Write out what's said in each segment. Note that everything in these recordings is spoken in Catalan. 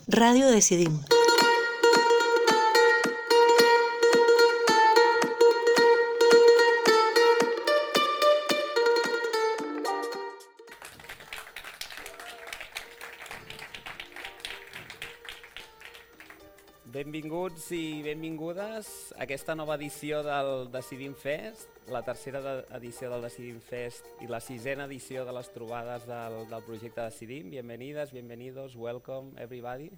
Radio Decidim. Benvinguts i benvingudes a aquesta nova edició del Decidim Fest, la tercera edició del Decidim Fest i la sisena edició de les trobades del projecte Decidim. Bienvenides, bienvenidos, welcome everybody.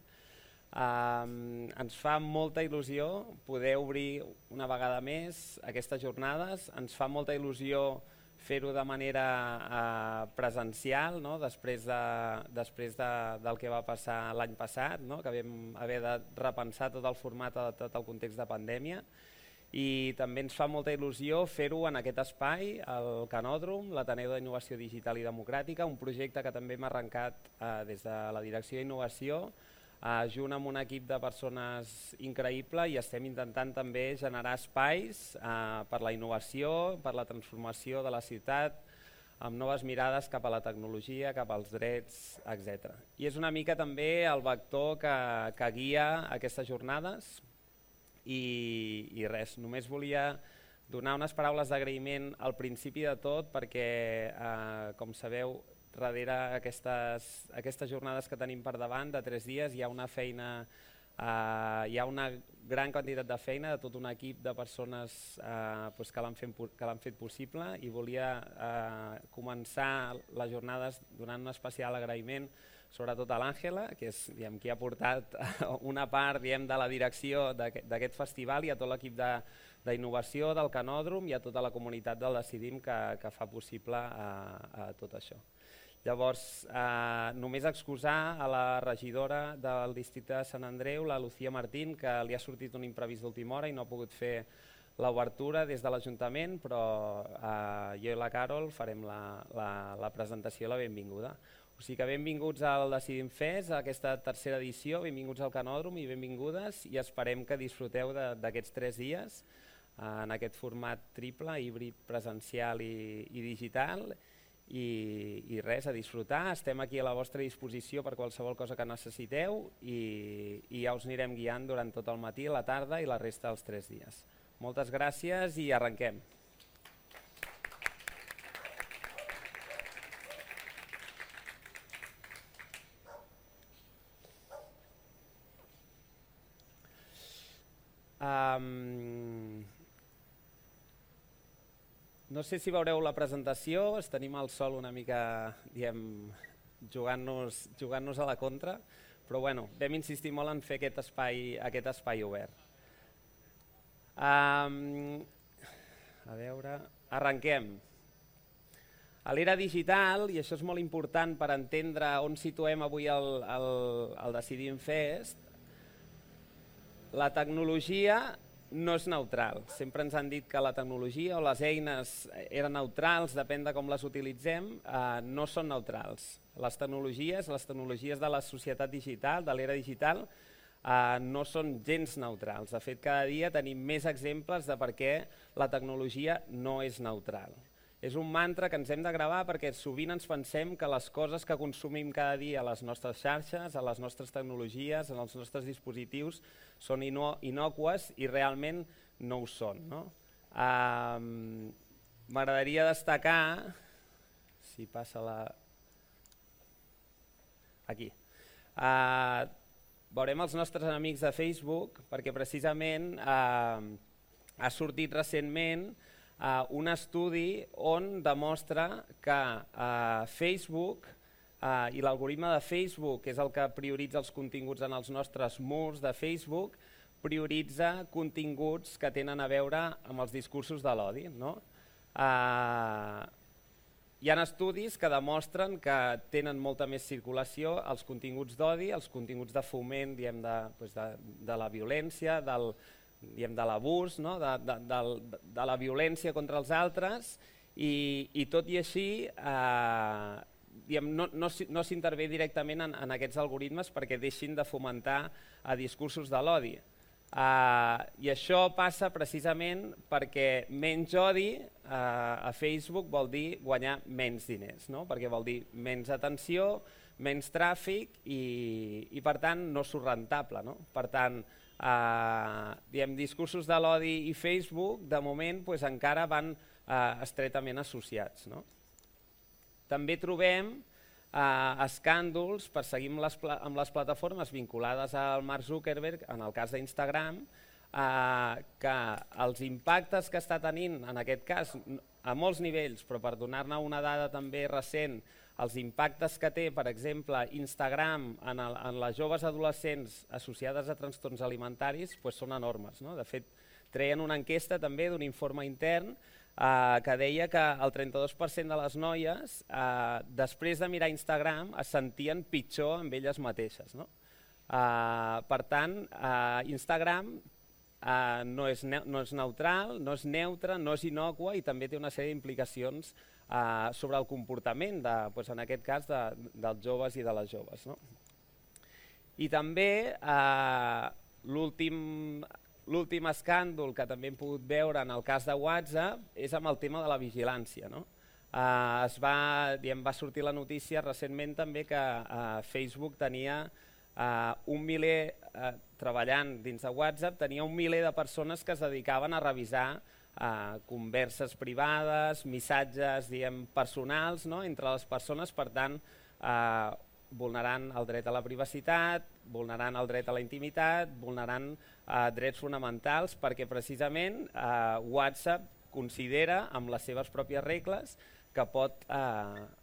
Ens fa molta il·lusió poder obrir una vegada més aquestes jornades. Ens fa molta il·lusió fer-ho de manera presencial, no? després del que va passar l'any passat, no? Que vam haver de repensar tot el format adaptat al context de pandèmia. I també ens fa molta il·lusió fer-ho en aquest espai, el Canòdrom, l'Ateneu d'Innovació Digital i Democràtica, un projecte que també hem arrencat des de la Direcció d'Innovació, junt amb un equip de persones increïble, i estem intentant també generar espais per la innovació, per la transformació de la ciutat, amb noves mirades cap a la tecnologia, cap als drets, etc. I és una mica també el vector que guia aquestes jornades. I res, només volia donar unes paraules d'agraïment al principi de tot perquè, com sabeu, darrere aquestes jornades que tenim per davant de 3 dies hi ha una feina, hi ha una gran quantitat de feina de tot un equip de persones que l'han fet possible, i volia començar les jornades donant un especial agraïment sobretot a l'Àngela, que és qui ha portat una part de la direcció d'aquest festival, i a tot l'equip d'innovació del Canòdrom i a tota la comunitat del Decidim que fa possible tot això. Llavors, només excusar a la regidora del districte de Sant Andreu, la Lucía Martín, que li ha sortit un imprevist d'última hora i no ha pogut fer l'obertura des de l'Ajuntament, però jo i la Carol farem la presentació i la benvinguda. O sigui que benvinguts al Decidim Fest, a aquesta tercera edició, benvinguts al Canòdrom i benvingudes, i esperem que disfruteu d'aquests 3 dies en aquest format triple, híbrid, presencial i digital. I res, a disfrutar. Estem aquí a la vostra disposició per qualsevol cosa que necessiteu i ja us anirem guiant durant tot el matí, la tarda i la resta dels 3 dies. Moltes gràcies i arrenquem. No sé si veureu la presentació, tenim el sol una mica jugant-nos a la contra, però bueno, vam insistir molt en fer aquest espai obert. A veure, arrenquem. A l'era digital, i això és molt important per entendre on situem avui el Decidim Fest, la tecnologia no és neutral. Sempre ens han dit que la tecnologia o les eines eren neutrals, depèn de com les utilitzem, no són neutrals. Les tecnologies de la societat digital, de l'era digital, no són gens neutrals. De fet, cada dia tenim més exemples de per què la tecnologia no és neutral. És un mantra que ens hem de gravar perquè sovint ens pensem que les coses que consumim cada dia a les nostres xarxes, a les nostres tecnologies, en els nostres dispositius, són innòcues i realment no ho són. M'agradaria destacar, si passa la... aquí. Veurem els nostres amics de Facebook perquè precisament ha sortit recentment un estudi on demostra que Facebook i l'algoritme de Facebook, que és el que prioritza els continguts en els nostres murs de Facebook, prioritza continguts que tenen a veure amb els discursos de l'odi. Hi ha estudis que demostren que tenen molta més circulació els continguts d'odi, els continguts de foment de la violència, de l'abús, de la violència contra els altres, i tot i així no s'intervé directament en aquests algoritmes perquè deixin de fomentar discursos de l'odi. I això passa precisament perquè menys odi a Facebook vol dir guanyar menys diners, perquè vol dir menys atenció, menys tràfic i per tant no surt rentable, no? Per tant, discursos de l'odi i Facebook de moment encara van estretament associats, no? També trobem escàndols, perseguim amb les plataformes vinculades al Mark Zuckerberg, en el cas d'Instagram, que els impactes que està tenint, en aquest cas, a molts nivells, però per donar-ne una dada també recent, els impactes que té, per exemple, Instagram en les joves adolescents associades a trastorns alimentaris són enormes, no? De fet, treien una enquesta també d'un informe intern que deia que el 32% de les noies, després de mirar Instagram, es sentien pitjor amb elles mateixes, no? Per tant, Instagram no és neutral, no és neutre, no és innocua i també té una sèrie d'implicacions sobre el comportament, en aquest cas, dels joves i de les joves, no? I també l'últim escàndol que també hem pogut veure en el cas de WhatsApp és amb el tema de la vigilància, no? Va sortir la notícia recentment també que Facebook tenia un miler, treballant dins de WhatsApp, tenia un miler de persones que es dedicaven a revisar converses privades, missatges personals entre les persones, per tant, vulnerant el dret a la privacitat, vulnerant el dret a la intimitat, vulnerant drets fonamentals, perquè precisament WhatsApp considera, amb les seves pròpies regles, que pot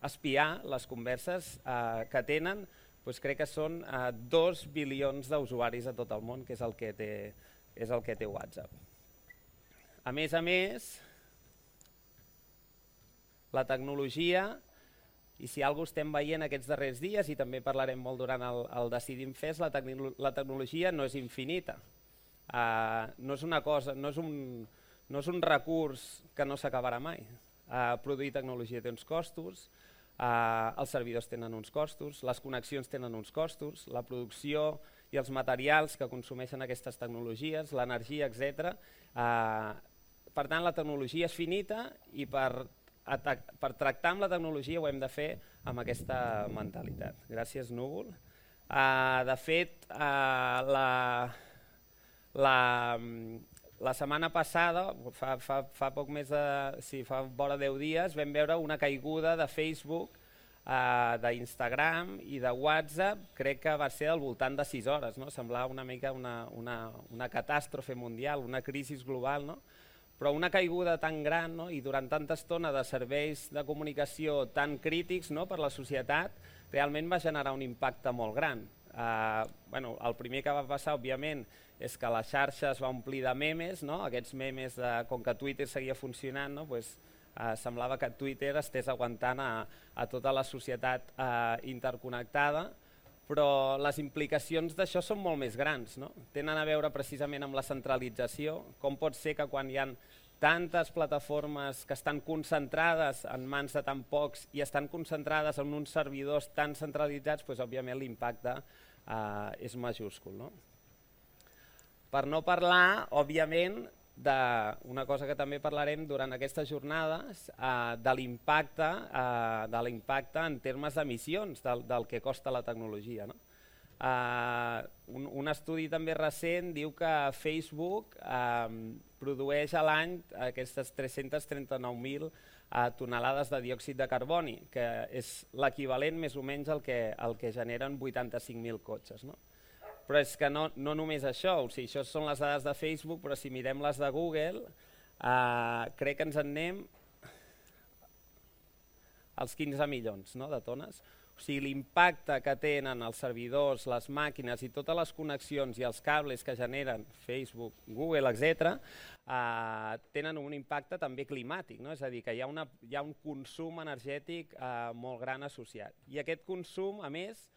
espiar les converses que tenen, crec que són 2 bilions d'usuaris a tot el món, que és el que té WhatsApp. A més, la tecnologia, i si alguna cosa estem veient aquests darrers dies, i també parlarem molt durant el Decidim Fest, la tecnologia no és infinita. No és una cosa, no és un recurs que no s'acabarà mai. Produir tecnologia té uns costos, els servidors tenen uns costos, les connexions tenen uns costos, la producció i els materials que consumeixen aquestes tecnologies, l'energia, etc. Per tant, la tecnologia és finita i per tractar amb la tecnologia ho hem de fer amb aquesta mentalitat. Gràcies, Núvol. De fet, la setmana passada, fa poc més fa vora 10 dies, vam veure una caiguda de Facebook, d'Instagram i de WhatsApp, crec que va ser al voltant de 6 hores, no? Semblava una mica una catàstrofe mundial, una crisi global, no? Però una caiguda tan gran, no? I durant tanta estona de serveis de comunicació tan crítics, no? Per la societat, realment va generar un impacte molt gran. El primer que va passar, òbviament, és que la xarxa es va omplir de memes, no? Aquests memes, com que Twitter seguia funcionant, no? Semblava que Twitter estés aguantant a tota la societat interconnectada, però les implicacions d'això són molt més grans, no? Tenen a veure precisament amb la centralització. Com pot ser que quan hi ha tantes plataformes que estan concentrades en mans de tan pocs i estan concentrades en uns servidors tan centralitzats, òbviament l'impacte és majúscul, no? Per no parlar, òbviament, d'una cosa que també parlarem durant aquestes jornades, de l'impacte en termes d'emissions del que costa la tecnologia, no? Un estudi també recent diu que Facebook produeix a l'any aquestes 339.000 tonelades de diòxid de carboni, que és l'equivalent més o menys al que generen 85.000 cotxes, no? Però és que no només això, o sigui, això són les dades de Facebook, però si mirem les de Google, crec que ens en anem als 15 milions, no, de tones. O sigui, l'impacte que tenen els servidors, les màquines i totes les connexions i els cables que generen Facebook, Google, etc., tenen un impacte també climàtic, no? És a dir, que hi ha un consum energètic molt gran associat. I aquest consum, a més,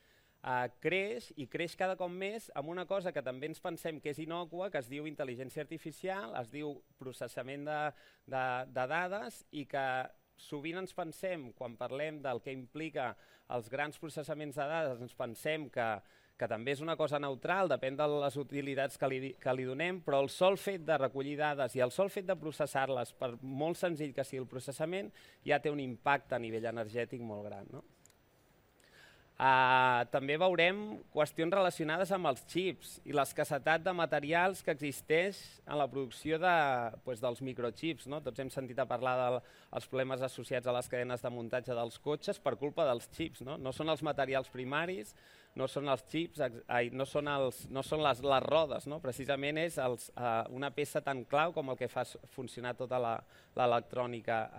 creix i creix cada cop més amb una cosa que també ens pensem que és innòcua, que es diu intel·ligència artificial, es diu processament de dades, i que sovint ens pensem, quan parlem del que implica els grans processaments de dades, ens pensem que també és una cosa neutral, depèn de les utilitats que li donem, però el sol fet de recollir dades i el sol fet de processar-les, per molt senzill que sigui el processament, ja té un impacte a nivell energètic molt gran, no? També veurem qüestions relacionades amb els xips i l'escassetat de materials que existeix en la producció dels microchips. Tots hem sentit a parlar dels problemes associats a les cadenes de muntatge dels cotxes per culpa dels xips. No són els materials primaris, no són els xips, no són les rodes. Precisament és una peça tan clau com el que fa funcionar tota l'electrònica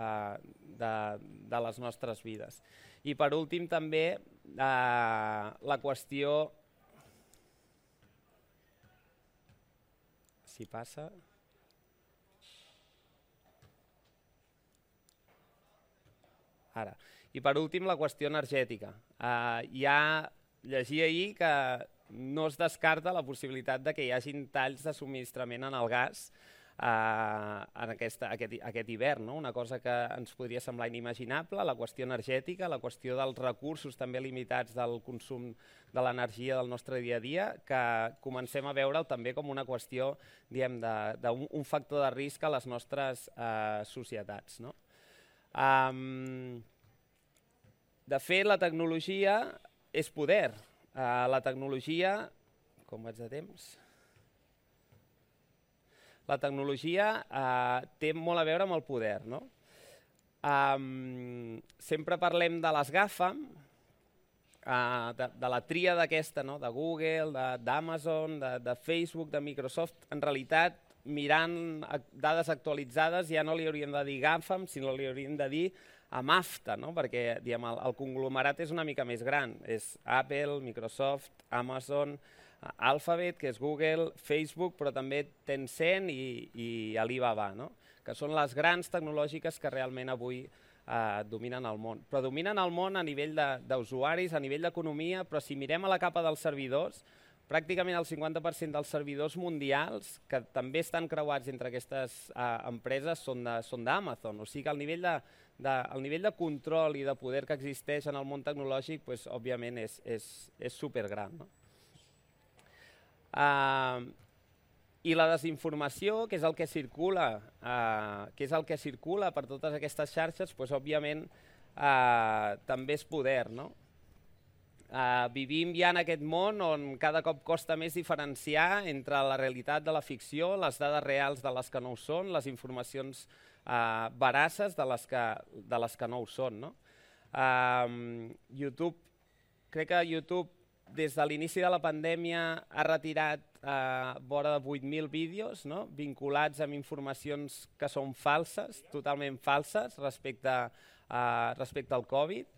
de les nostres vides. I per últim també la qüestió, si passa, ara, i per últim la qüestió energètica. Llegia ahir que no es descarta la possibilitat de que hi hagin talls de subministrament en el gas en aquest hivern, una cosa que ens podria semblar inimaginable, la qüestió energètica, la qüestió dels recursos també limitats del consum de l'energia del nostre dia a dia, que comencem a veure'l també com una qüestió d'un factor de risc a les nostres societats. De fet, la tecnologia és poder. La tecnologia, com vaig de temps? La tecnologia té molt a veure amb el poder. Sempre parlem de les GAFAM, de la tríada aquesta, de Google, d'Amazon, de Facebook, de Microsoft. En realitat, mirant dades actualitzades, ja no li hauríem de dir GAFAM, sinó li hauríem de dir AMAFTA, perquè el conglomerat és una mica més gran. És Apple, Microsoft, Amazon, Alphabet, que és Google, Facebook, però també Tencent i Alibaba, que són les grans tecnològiques que realment avui dominen el món. Però dominen el món a nivell d'usuaris, a nivell d'economia, però si mirem a la capa dels servidors, pràcticament el 50% dels servidors mundials, que també estan creuats entre aquestes empreses, són d'Amazon. O sigui que el nivell de control i de poder que existeix en el món tecnològic, òbviament, és supergran. I la desinformació, que és el que circula per totes aquestes xarxes, òbviament també és poder. Vivim ja en aquest món on cada cop costa més diferenciar entre la realitat de la ficció, les dades reals de les que no ho són, les informacions veraces de les que no ho són. Crec que YouTube, des de l'inici de la pandèmia, ha retirat vora de 8.000 vídeos vinculats amb informacions que són falses, totalment falses, respecte al Covid.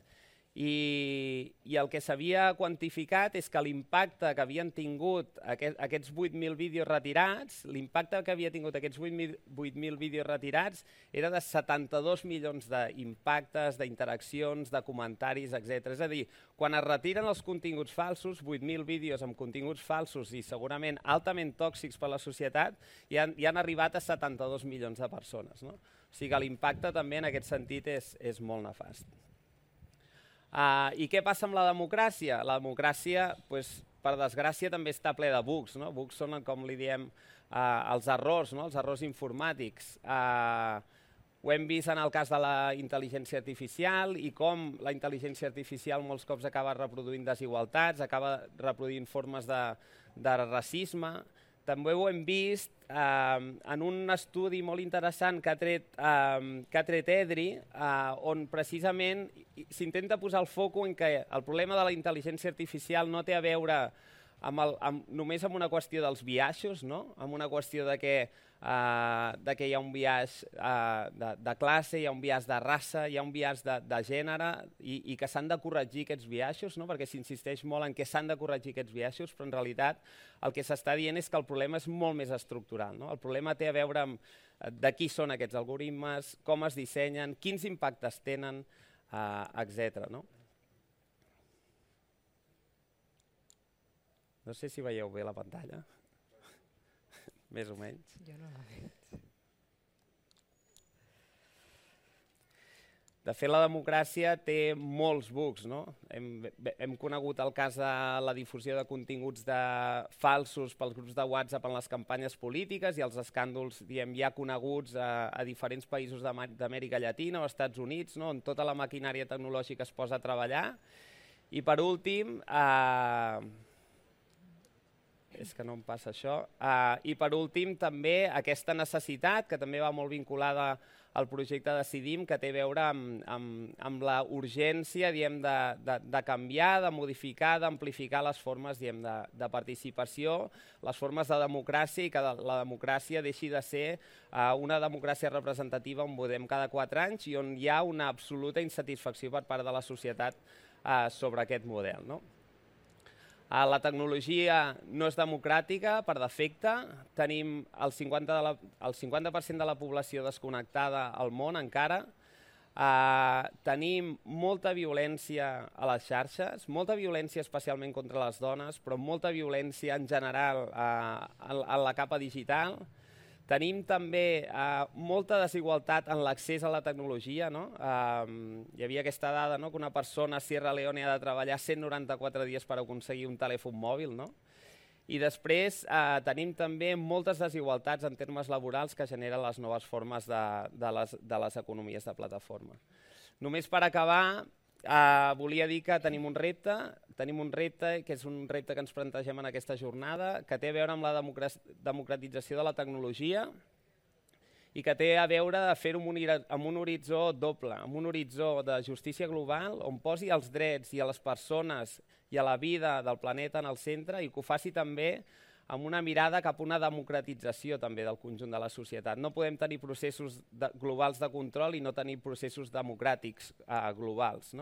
I el que s'havia quantificat és que l'impacte que havien tingut aquests 8.000 vídeos retirats, l'impacte que havia tingut aquests 8.000 vídeos retirats era de 72 milions d'impactes, d'interaccions, de comentaris, etc. És a dir, quan es retiren els continguts falsos, 8.000 vídeos amb continguts falsos i segurament altament tòxics per a la societat, ja han arribat a 72 milions de persones. O sigui que l'impacte també en aquest sentit és molt nefast. I què passa amb la democràcia? La democràcia, per desgràcia, també està ple de bugs. Bugs són, com li diem, els errors informàtics. Ho hem vist en el cas de la intel·ligència artificial i com la intel·ligència artificial molts cops acaba reproduint desigualtats, acaba reproduint formes de racisme. També ho hem vist en un estudi molt interessant que ha tret EDRI, on precisament s'intenta posar el focus en que el problema de la intel·ligència artificial no té a veure només amb una qüestió dels biaixos, amb una qüestió de que hi ha un biaix de classe, hi ha un biaix de raça, hi ha un biaix de gènere i que s'han de corregir aquests biaixos, perquè s'insisteix molt en que s'han de corregir aquests biaixos, però en realitat el que s'està dient és que el problema és molt més estructural. El problema té a veure amb de qui són aquests algoritmes, com es dissenyen, quins impactes tenen, etc. No sé si veieu bé la pantalla. Més o menys. Jo no la veig. De fet, la democràcia té molts bugs. Hem conegut el cas de la difusió de continguts falsos pels grups de WhatsApp en les campanyes polítiques i els escàndols ja coneguts a diferents països d'Amèrica Llatina o Estats Units, on tota la maquinària tecnològica es posa a treballar. I per últim, és que no em passa això, i per últim també aquesta necessitat, que també va molt vinculada al projecte Decidim, que té a veure amb la urgència de canviar, de modificar, d'amplificar les formes de participació, les formes de democràcia, i que la democràcia deixi de ser una democràcia representativa on votem cada 4 anys i on hi ha una absoluta insatisfacció per part de la societat sobre aquest model, no? La tecnologia no és democràtica per defecte, tenim el 50% de la població desconnectada al món encara, tenim molta violència a les xarxes, molta violència especialment contra les dones, però molta violència en general en la capa digital. Tenim també molta desigualtat en l'accés a la tecnologia. Hi havia aquesta dada que una persona a Sierra Leone ha de treballar 194 dies per aconseguir un telèfon mòbil. I després tenim també moltes desigualtats en termes laborals que generen les noves formes de les economies de plataforma. Només per acabar, volia dir que tenim un repte, que és un repte que ens plantegem en aquesta jornada, que té a veure amb la democratització de la tecnologia i que té a veure de fer-ho amb un horitzó doble, amb un horitzó de justícia global on posi els drets i a les persones i a la vida del planeta en el centre i que ho faci també amb una mirada cap a una democratització també del conjunt de la societat. No podem tenir processos globals de control i no tenir processos democràtics globals.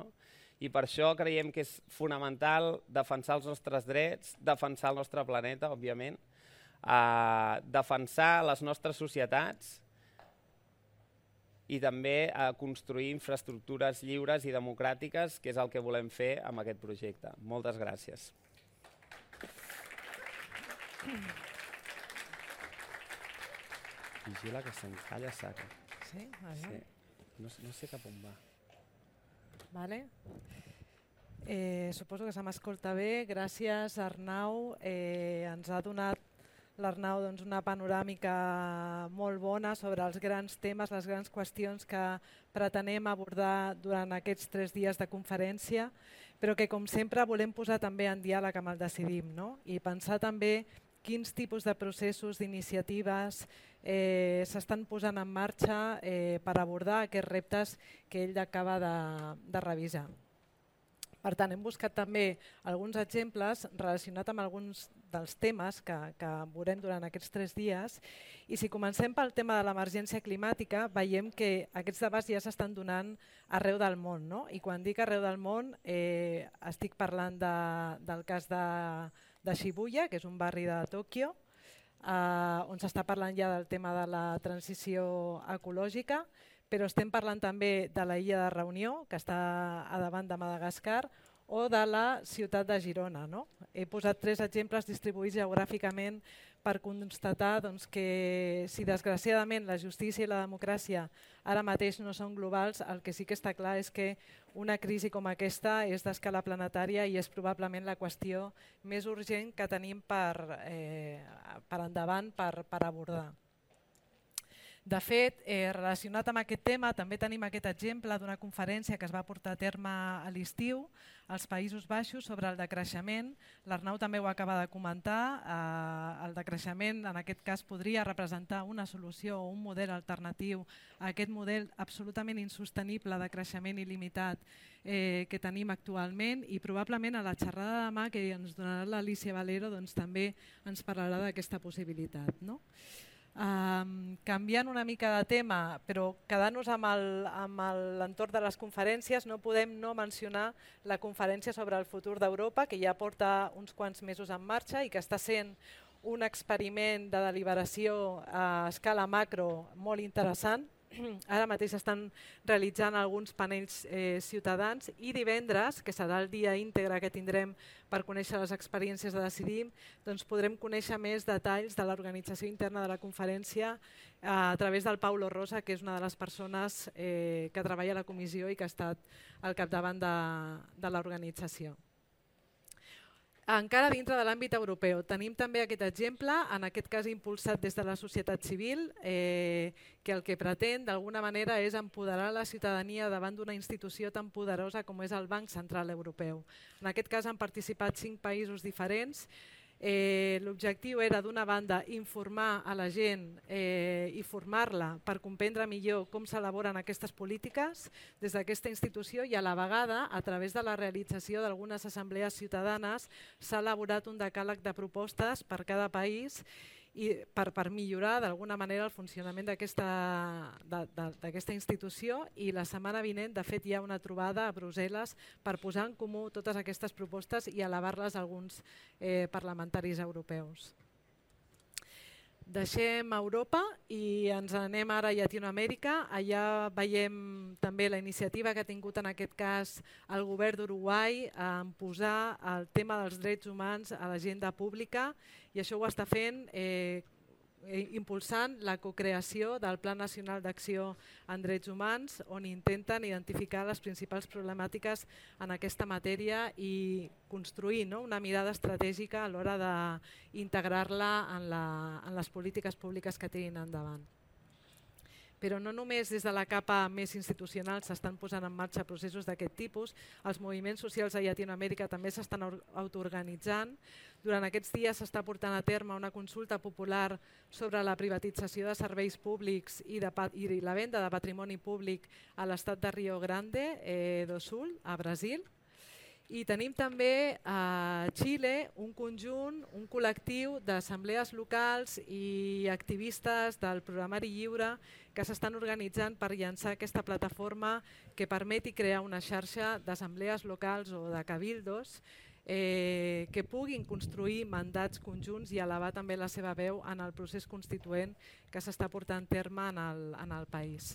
I per això creiem que és fonamental defensar els nostres drets, defensar el nostre planeta, òbviament, defensar les nostres societats i també construir infraestructures lliures i democràtiques, que és el que volem fer amb aquest projecte. Moltes gràcies. Vigila que s'encalla saca. Sí? Sí. No sé cap on va. Vale. Suposo que se m'escolta bé. Gràcies, Arnau. Ens ha donat l'Arnau una panoràmica molt bona sobre els grans temes, les grans qüestions que pretenem abordar durant aquests 3 dies de conferència, però que, com sempre, volem posar també en diàleg amb el Decidim, i pensar també quins tipus de processos, d'iniciatives s'estan posant en marxa per abordar aquests reptes que ell acaba de revisar. Per tant, hem buscat també alguns exemples relacionats amb alguns dels temes que veurem durant aquests 3 dies. I si comencem pel tema de l'emergència climàtica, veiem que aquests debats ja s'estan donant arreu del món. I quan dic arreu del món, estic parlant del cas de Shibuya, que és un barri de Tòquio, on s'està parlant ja del tema de la transició ecològica, però estem parlant també de la illa de Reunió, que està a davant de Madagascar, o de la ciutat de Girona. He posat 3 exemples distribuïts geogràficament per constatar que si desgraciadament la justícia i la democràcia ara mateix no són globals, el que sí que està clar és que una crisi com aquesta és d'escala planetària i és probablement la qüestió més urgent que tenim per endavant per abordar. De fet, relacionat amb aquest tema, també tenim aquest exemple d'una conferència que es va portar a terme a l'estiu als Països Baixos sobre el decreixement. L'Arnau també ho acaba de comentar. El decreixement, en aquest cas, podria representar una solució o un model alternatiu a aquest model absolutament insostenible de creixement il·limitat que tenim actualment, i probablement a la xerrada de demà que ens donarà l'Alícia Valero també ens parlarà d'aquesta possibilitat. Canviant una mica de tema, però quedant-nos amb l'entorn de les conferències, no podem no mencionar la conferència sobre el futur d'Europa, que ja porta uns quants mesos en marxa i que està sent un experiment de deliberació a escala macro molt interessant. Ara mateix estan realitzant alguns panells ciutadans i divendres, que serà el dia íntegre que tindrem per conèixer les experiències de Decidim, podrem conèixer més detalls de l'organització interna de la conferència a través del Paulo Rosa, que és una de les persones que treballa a la comissió i que ha estat al capdavant de l'organització. encara dintre de l'àmbit europeu. Tenim també aquest exemple, en aquest cas impulsat des de la societat civil, que el que pretén d'alguna manera és empoderar la ciutadania davant d'una institució tan poderosa com és el Banc Central Europeu. En aquest cas han participat 5 països diferents. L'objectiu era, d'una banda, informar a la gent i formar-la per comprendre millor com s'elaboren aquestes polítiques des d'aquesta institució, i a la vegada, a través de la realització d'algunes assemblees ciutadanes, s'ha elaborat un decàleg de propostes per cada país i per millorar d'alguna manera el funcionament d'aquesta institució. I la setmana vinent, de fet, hi ha una trobada a Brussel·les per posar en comú totes aquestes propostes i elevar-les a alguns parlamentaris europeus. Deixem Europa i ens anem ara a Llatinoamèrica. Allà veiem també la iniciativa que ha tingut en aquest cas el govern d'Uruguai en posar el tema dels drets humans a l'agenda pública, i això ho està fent impulsant la cocreació del Pla Nacional d'Acció en Drets Humans, on intenten identificar les principals problemàtiques en aquesta matèria i construir una mirada estratègica a l'hora d'integrar-la en les polítiques públiques que tirin endavant. Però no només des de la capa més institucional s'estan posant en marxa processos d'aquest tipus, els moviments socials a Llatinoamèrica també s'estan autoorganitzant. Durant aquests dies s'està portant a terme una consulta popular sobre la privatització de serveis públics i la venda de patrimoni públic a l'estat de Rio Grande do Sul, a Brasil. I tenim també a Xile un conjunt, un col·lectiu d'assemblees locals i activistes del programari lliure que s'estan organitzant per llançar aquesta plataforma que permeti crear una xarxa d'assemblees locals o de cabildos que puguin construir mandats conjunts i elevar també la seva veu en el procés constituent que s'està portant a terme en el país.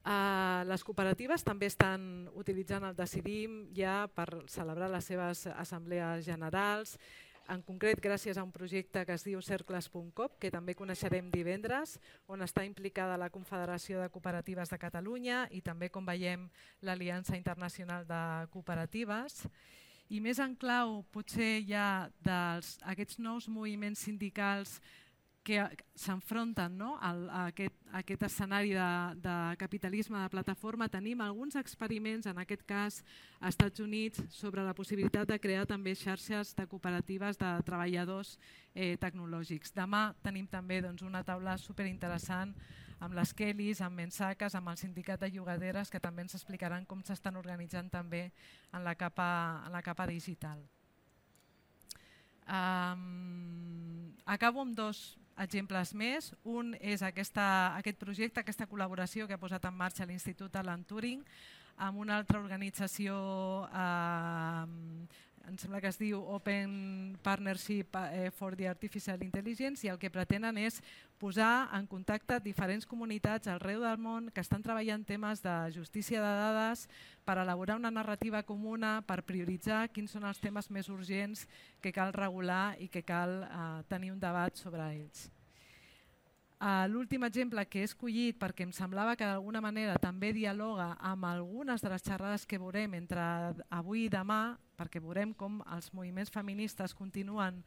Les cooperatives també estan utilitzant el Decidim ja per celebrar les seves assemblees generals, en concret gràcies a un projecte que es diu cercles.com, que també coneixerem divendres, on està implicada la Confederació de Cooperatives de Catalunya i també, com veiem, l'Aliança Internacional de Cooperatives. I més en clau, potser ja d'aquests nous moviments sindicals que s'enfronten a aquest escenari de capitalisme de plataforma, tenim alguns experiments, en aquest cas als Estats Units, sobre la possibilitat de crear també xarxes de cooperatives de treballadors tecnològics. Demà tenim també una taula superinteressant amb les Kellys, amb Mensaques, amb el sindicat de llogaderes, que també ens explicaran com s'estan organitzant també en la capa digital. Acabo amb 2 exemples més. Un és aquest projecte, aquesta col·laboració que ha posat en marxa l'Institut Alan Turing amb una altra organització, em sembla que es diu Open Partnership for the Artificial Intelligence, i el que pretenen és posar en contacte diferents comunitats arreu del món que estan treballant temes de justícia de dades per elaborar una narrativa comuna, per prioritzar quins són els temes més urgents que cal regular i que cal tenir un debat sobre ells. L'últim exemple que he escollit, perquè em semblava que d'alguna manera també dialoga amb algunes de les xerrades que veurem entre avui i demà, perquè veurem com els moviments feministes continuen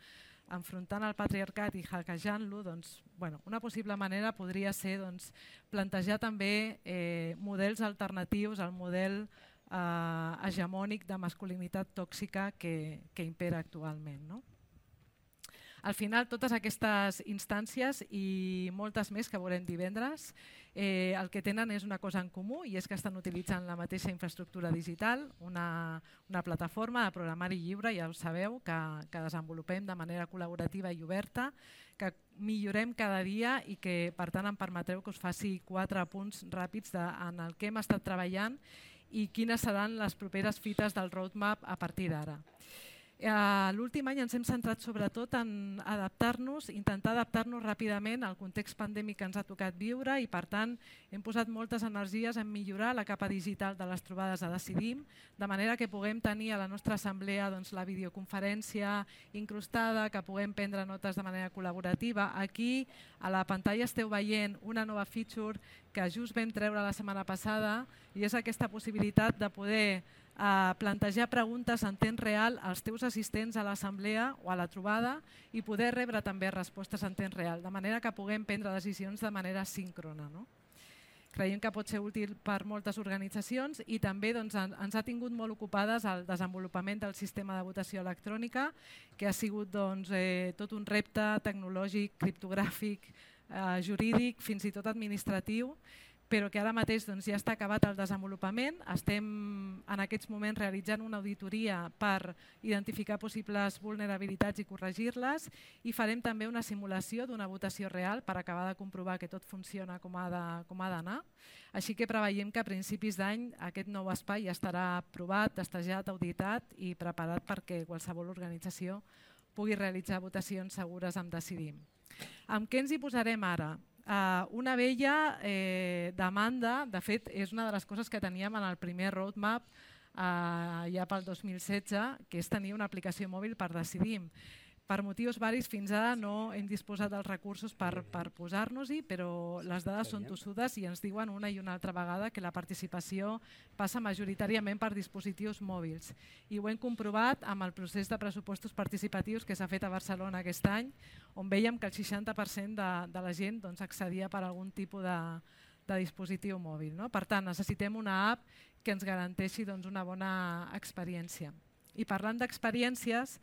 enfrontant el patriarcat i hackejant-lo, una possible manera podria ser plantejar també models alternatius al model hegemònic de masculinitat tòxica que impera actualment. Al final, totes aquestes instàncies i moltes més que veurem divendres, el que tenen és una cosa en comú, i és que estan utilitzant la mateixa infraestructura digital, una plataforma de programari lliure, ja ho sabeu, que desenvolupem de manera col·laborativa i oberta, que millorem cada dia i que, per tant, em permetreu que us faci 4 punts ràpids en el que hem estat treballant i quines seran les properes fites del roadmap a partir d'ara. L'últim any ens hem centrat sobretot en adaptar-nos, intentar adaptar-nos ràpidament al context pandèmic que ens ha tocat viure, i per tant hem posat moltes energies en millorar la capa digital de les trobades a Decidim, de manera que puguem tenir a la nostra assemblea la videoconferència incrustada, que puguem prendre notes de manera col·laborativa. Aquí a la pantalla esteu veient una nova feature que just vam treure la setmana passada, i és aquesta possibilitat de poder plantejar preguntes en temps real als teus assistents a l'assemblea o a la trobada i poder rebre també respostes en temps real, de manera que puguem prendre decisions de manera síncrona. Creiem que pot ser útil per moltes organitzacions i també ens ha tingut molt ocupades el desenvolupament del sistema de votació electrònica, que ha sigut tot un repte tecnològic, criptogràfic, jurídic, fins i tot administratiu, però que ara mateix ja està acabat el desenvolupament. Estem en aquests moments realitzant una auditoria per identificar possibles vulnerabilitats i corregir-les i farem també una simulació d'una votació real per acabar de comprovar que tot funciona com ha d'anar. Així que preveiem que a principis d'any aquest nou espai ja estarà aprovat, testejat, auditat i preparat perquè qualsevol organització pugui realitzar votacions segures amb Decidim. Amb què ens hi posarem ara? Una vella demanda, de fet és una de les coses que teníem en el primer roadmap ja pel 2016, que és tenir una aplicació mòbil per Decidim. Per motius varis fins ara no hem disposat dels recursos per posar-nos-hi, però les dades són tossudes i ens diuen una i una altra vegada que la participació passa majoritàriament per dispositius mòbils. I ho hem comprovat amb el procés de pressupostos participatius que s'ha fet a Barcelona aquest any, on veiem que el 60% de la gent accedia per algun tipus de dispositiu mòbil. Per tant, necessitem una app que ens garanteixi una bona experiència. I parlant d'experiències,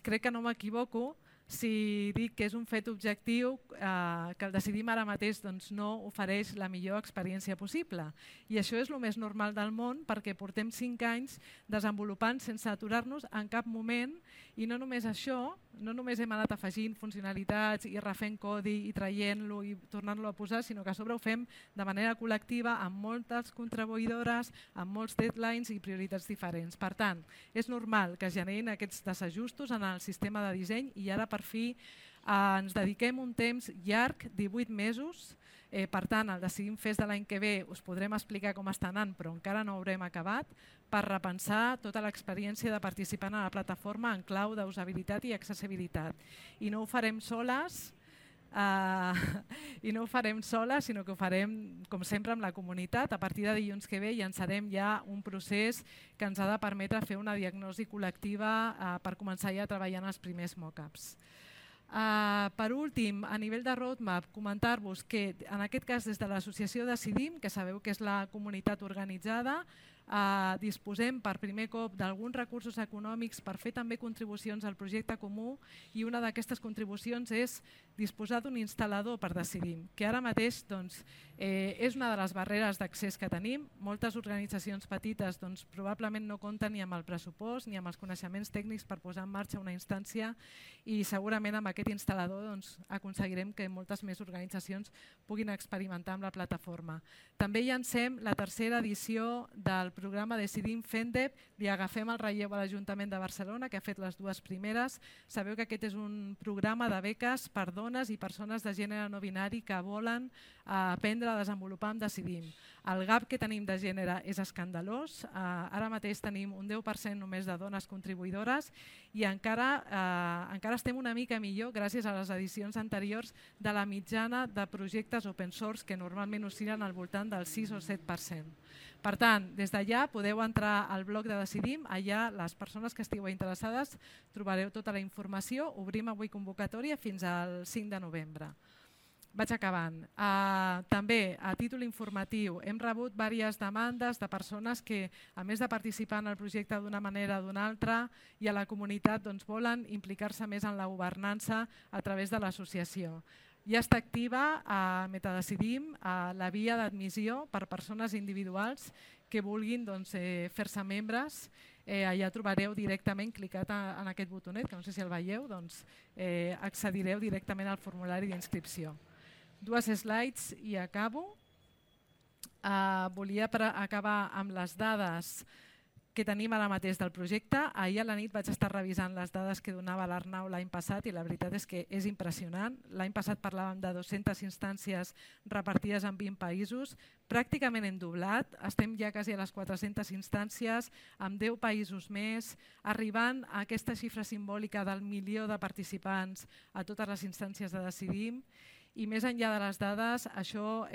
crec que no m'equivoco si dic que és un fet objectiu que el Decidim ara mateix no ofereix la millor experiència possible. I això és el més normal del món perquè portem 5 anys desenvolupant sense aturar-nos en cap moment i no només això, no només hem anat afegint funcionalitats i refent codi i traient-lo i tornant-lo a posar, sinó que a sobre ho fem de manera col·lectiva amb moltes contribuïdores, amb molts deadlines i prioritats diferents. Per tant, és normal que es generin aquests desajustos en el sistema de disseny i ara per fi ens dediquem un temps llarg, 18 mesos. Per tant, el Decidim Fest de l'any que ve us podrem explicar com està anant, però encara no haurem acabat, per repensar tota l'experiència de participar en la plataforma en clau d'usabilitat i accessibilitat. I no ho farem soles, sinó que ho farem, com sempre, amb la comunitat. A partir de dilluns que ve llançarem ja un procés que ens ha de permetre fer una diagnosi col·lectiva per començar ja a treballar en els primers mock-ups. Per últim, a nivell de roadmap, comentar-vos que en aquest cas des de l'associació Decidim, que sabeu que és la comunitat organitzada, disposem per primer cop d'alguns recursos econòmics per fer també contribucions al projecte comú i una d'aquestes contribucions és disposar d'un instal·lador per Decidim, que ara mateix és una de les barreres d'accés que tenim. Moltes organitzacions petites probablement no compten ni amb el pressupost ni amb els coneixements tècnics per posar en marxa una instància i segurament amb aquest instal·lador aconseguirem que moltes més organitzacions puguin experimentar amb la plataforma. També llancem la tercera edició del programa Decidim FENDEP, li agafem el relleu a l'Ajuntament de Barcelona, que ha fet les 2 primeres. Sabeu que aquest és un programa de beques per dones i persones de gènere no binari que volen aprendre a desenvolupar amb Decidim. El gap que tenim de gènere és escandalós. Ara mateix tenim un 10% només de dones contribuïdores i encara estem una mica millor gràcies a les edicions anteriors de la mitjana de projectes open source que normalment oscil·len al voltant del 6 o 7%. Per tant, des d'allà podeu entrar al blog de Decidim, allà les persones que estigueu interessades trobareu tota la informació. Obrim avui convocatòria fins al 5 de novembre. Vaig acabant. També, a títol informatiu, hem rebut diverses demandes de persones que, a més de participar en el projecte d'una manera o d'una altra, i a la comunitat volen implicar-se més en la governança a través de l'associació. Ja està activa a Metadecidim la via d'admissió per persones individuals que vulguin fer-se membres. Allà trobareu directament, clicat en aquest botonet, que no sé si el veieu, accedireu directament al formulari d'inscripció. 2 slides i acabo. Volia acabar amb les dades que tenim ara mateix del projecte. Ahir a la nit vaig estar revisant les dades que donava l'Arnau l'any passat i la veritat és que és impressionant. L'any passat parlàvem de 200 instàncies repartides en 20 països. Pràcticament hem doblat, estem ja quasi a les 400 instàncies, amb 10 països més, arribant a aquesta xifra simbòlica del 1 milió de participants a totes les instàncies de Decidim. i més enllà de les dades, això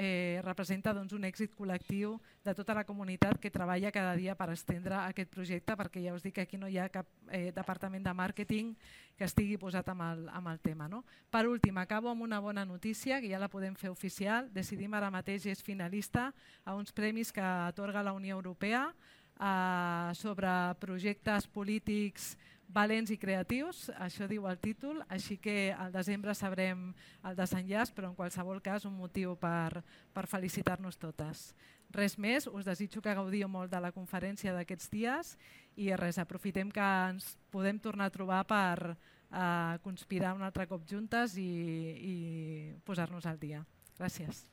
representa un èxit col·lectiu de tota la comunitat que treballa cada dia per estendre aquest projecte, perquè ja us dic que aquí no hi ha cap departament de màrqueting que estigui posat amb el tema. Per últim, acabo amb una bona notícia, que ja la podem fer oficial. Decidim ara mateix és finalista a uns premis que atorga la Unió Europea sobre projectes polítics valents i creatius, això diu el títol, així que al desembre sabrem el desenllaç, però en qualsevol cas un motiu per felicitar-nos totes. Res més, us desitjo que gaudiu molt de la conferència d'aquests dies i res, aprofitem que ens podem tornar a trobar per conspirar un altre cop juntes i posar-nos al dia. Gràcies.